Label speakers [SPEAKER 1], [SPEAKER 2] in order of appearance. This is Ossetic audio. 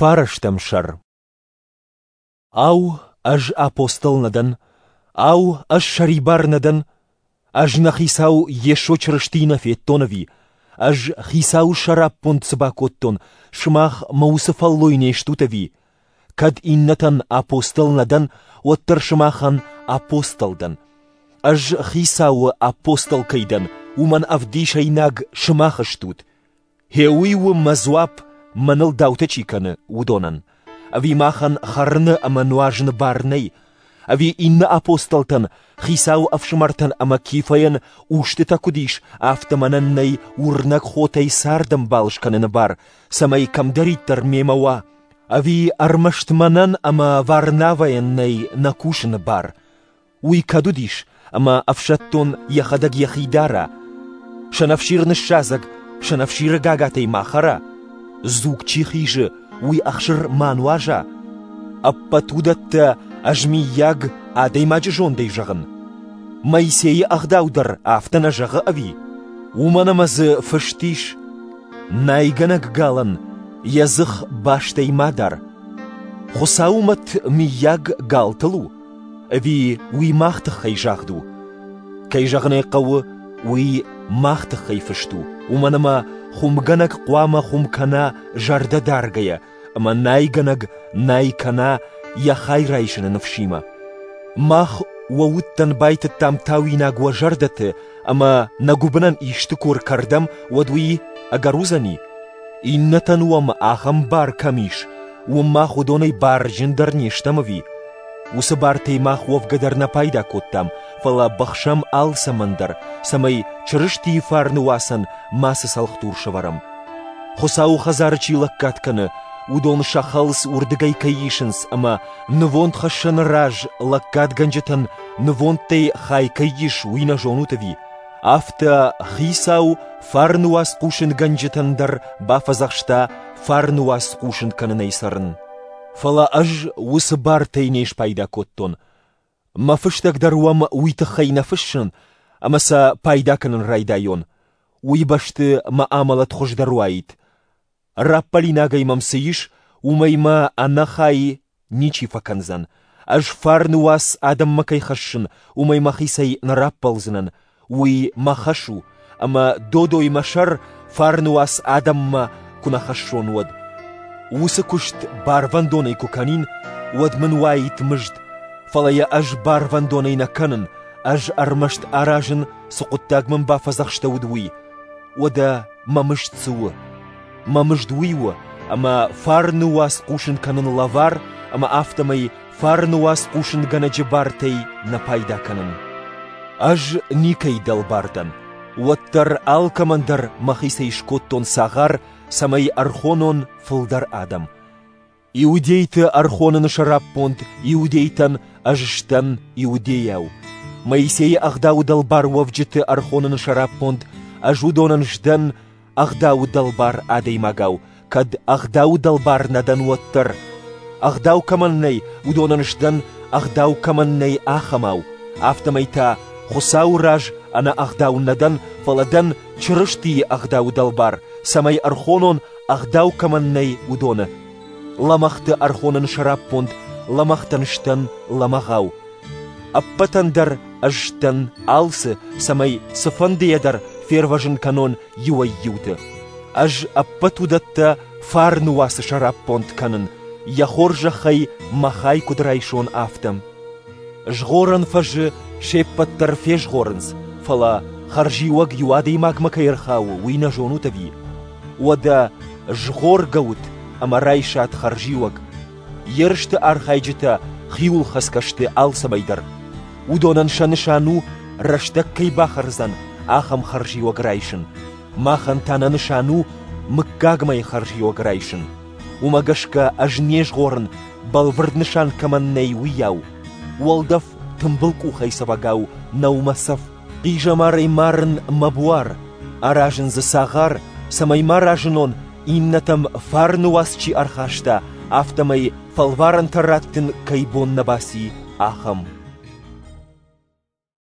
[SPEAKER 1] Фарӕстӕм сӕр. Ау, ӕз апостол нӕ дӕн? Ау, ӕз сӕрибар нӕ дӕн? Ӕз нӕ Хицау Йесо Чырыстийы нӕ федтон ӕви? Ӕз Хицауы сӕраппонд цы бакодтон, сымах мӕ уыцы фӕллой не стут ӕви? Кӕд иннӕтӕн апостол нӕ дӕн, уӕддӕр сымахӕн апостол дӕн. Ӕз Хицауы апостол кӕй дӕн, уымӕн ӕвдисӕйнаг сымах стут. Гъе уый у мӕ дзуапп, мӕныл даутӕ чи кӕны, уыдонӕн. Ӕви махӕн хӕрыны ӕмӕ нуазыны бар нӕй? Ӕви иннӕ апостолтӕн, Хицауы ӕфсымӕртӕн ӕмӕ Кифӕйӕн устытӕ куыд ис, афтӕ мӕнӕн нӕй уырнӕг хотӕй цардӕмбал скӕныны бар, цӕмӕй кӕмдӕриддӕр мемӕ уа? Ӕви ӕрмӕст мӕнӕн ӕмӕ Варнавӕйӕн нӕй нӕ кусыны бар? Уый кӕд уыдис, ӕмӕ ӕфсӕддон йӕхӕдӕг йӕхи дара? Сӕнӕфсир ныссадзӕг, сӕнӕфсиры гагатӕй ма хӕра? Дзуг чи хизы, уый ӕхсыр ма нуаза? Ӕппӕт уыдӕттӕ ӕз миййаг адӕймаджы зондӕй зӕгъын? Моисейы ӕгъдау дӕр афтӕ нӕ зӕгъы ӕви? Уымӕн ӕмӕ дзы фыст ис: Найгӕнӕг галӕн йӕ дзых бастӕй ма дар. Хуыцауы мӕт миййаг галтыл у? Ӕви уый мах тыххӕй загъд у? Кӕй зӕгъын ӕй хъӕуы, уый мах тыххӕй фыст у, уымӕн ӕмӕ хуымгӕнӕг хъуамӕ хуым кӕна зӕрдӕдаргӕйӕ ӕмӕ найгӕнӕг най кӕна йӕ хай райсыны ныфсимӕ. Мах уӕ удтӕн байтыдтам тауинаг уӕ зӕрдӕты ӕмӕ нӕ гуыбынӕн исты куы ӕркӕрдӕм, уӕд уый ӕгӕр уыдзӕни? Иннӕтӕн уӕм ахӕм бар кӕм ис, уым мах уыдонӕй барджындӕр не стӕм ӕви? Уыцы бартӕй мах уӕвгӕ дӕр нӕ пайда кодтам, фӕлӕ быхсӕм алцӕмӕн дӕр, цӕмӕй Чырыстийы фарны уацӕн мацы цӕлхдур сӕвӕрӕм. Хуыцауы хӕдзары чи лӕггад кӕны, уыдон сӕ хӕлц уырдыгӕй кӕй исынц ӕмӕ нывондхӕссӕны раз лӕггадгӕнджытӕн нывондтӕй хай кӕй ис, уый нӕ зонут ӕви? Афтӕ Хицау фарны уац хъусынгӕнджытӕн дӕр бафӕдзӕхста фарны уац хъусын кӕнынӕй цӕрын. Фӕлӕ ӕз уыцы бартӕй не спайда кодтон. Мӕ фыстӕг дӕр уӕм уый тыххӕй нӕ фыссын, ӕмӕ сӕ пайда кӕнын райдайон. Уый бӕсты мӕ амӕлӕт хуыздӕр уаид. Раппӕлинагӕй мӕм цы ис, уымӕй мӕ ӕнӕхай ничи фӕкӕндзӕн. Ӕз фарны уац адӕммӕ кӕй хӕссын, уымӕй мӕхицӕй нӕ раппӕлдзынӕн. Уый мӕ хӕс у, ӕмӕ додой мӕ сӕр фарны уац адӕммӕ куы нӕ хӕссон, уӕд. Уыцы куыст барвӕндонӕй куы кӕнин, уӕд мын уаид мызд, фӕлӕ йӕ ӕз барвӕндонӕй нӕ кӕнын, ӕз ӕрмӕст аразын, цы хъуыддаг мын бафӕдзӕхстӕуыд, уый. Уӕдӕ мӕ мызд цы у? Мӕ мызд уый у, ӕмӕ фарны уац хъусын кӕнын лӕвар ӕмӕ афтӕмӕй фарны уац хъусынгӕнӕджы бартӕй нӕ пайда кӕнын. Ӕз никӕй дӕлбар дӕн, уӕддӕр алкӕмӕн дӕр мӕхицӕй скодтон цагъар, цӕмӕй ӕрхонон фылдӕр адӕм. Иудейты ӕрхоныны сӕраппонд иудейтӕн ӕз сдӕн иудейау. Моисейы ӕгъдауы дӕлбар уӕвджыты ӕрхоныны сӕраппонд ӕз уыдонӕн сдӕн ӕгъдауы дӕлбар адӕймагау, кӕд ӕгъдауы дӕлбар нӕ дӕн, уӕддӕр. Ӕгъдау кӕмӕн нӕй, уыдонӕн сдӕн, ӕгъдау кӕмӕн нӕй, ахӕмау. Афтӕмӕй та Хуыцауы раз ӕнӕ ӕгъдау нӕ дӕн, фӕлӕ дӕн Чырыстийы ӕгъдауы дӕлбар, цӕмӕй ӕрхонон, ӕгъдау кӕмӕн нӕй, уыдоны. Лӕмӕгъты ӕрхоныны сӕраппонд лӕмӕгътӕн сдӕн лӕмӕгъау. Ӕппӕтӕн дӕр ӕз сдӕн алцы, цӕмӕй цыфӕндыйӕ дӕр фервӕзын кӕнон иуӕй-иуты. Ӕз ӕппӕт уыдӕттӕ фарны уацы сӕраппонд кӕнын, йӕ хорзӕхӕй мӕ хай куыд райсон, афтӕ. Згъорӕн фӕзы се ппӕт дӕр фезгъорынц, фӕлӕ хӕрзиуӕг иу адӕймагмӕ кӕй ӕрхауы, уый нӕ зонут ӕви? Уӕдӕ згъоргӕ ут ӕмӕ райсат хӕрзиуӕг. Ерысты архайджытӕ хиуылхӕцгӕ сты алцӕмӕй дӕр. Уыдонӕн сӕ нысан у, рӕстӕг кӕй бахӕрдзӕн, ахӕм хӕрзиуӕг райсын. Махӕн та нӕ нысан у мыггагмӕйы хӕрзиуӕг райсын. Уымӕ гӕсгӕ ӕз не згъорын, бӕлвырд нысан кӕмӕн нӕй, уыйау. Уӕлдӕф тымбыл къухӕй цӕвӕгау нӕу мӕ цӕф. Хъизӕмарӕй марын мӕ буар, аразын дзы цагъар, цӕмӕй ма разынон, иннӕтӕм фарны уац чи ӕрхаста, афтӕмӕй фӕлварӕнтӕ раттын кӕй бон нӕ баци, ахӕм.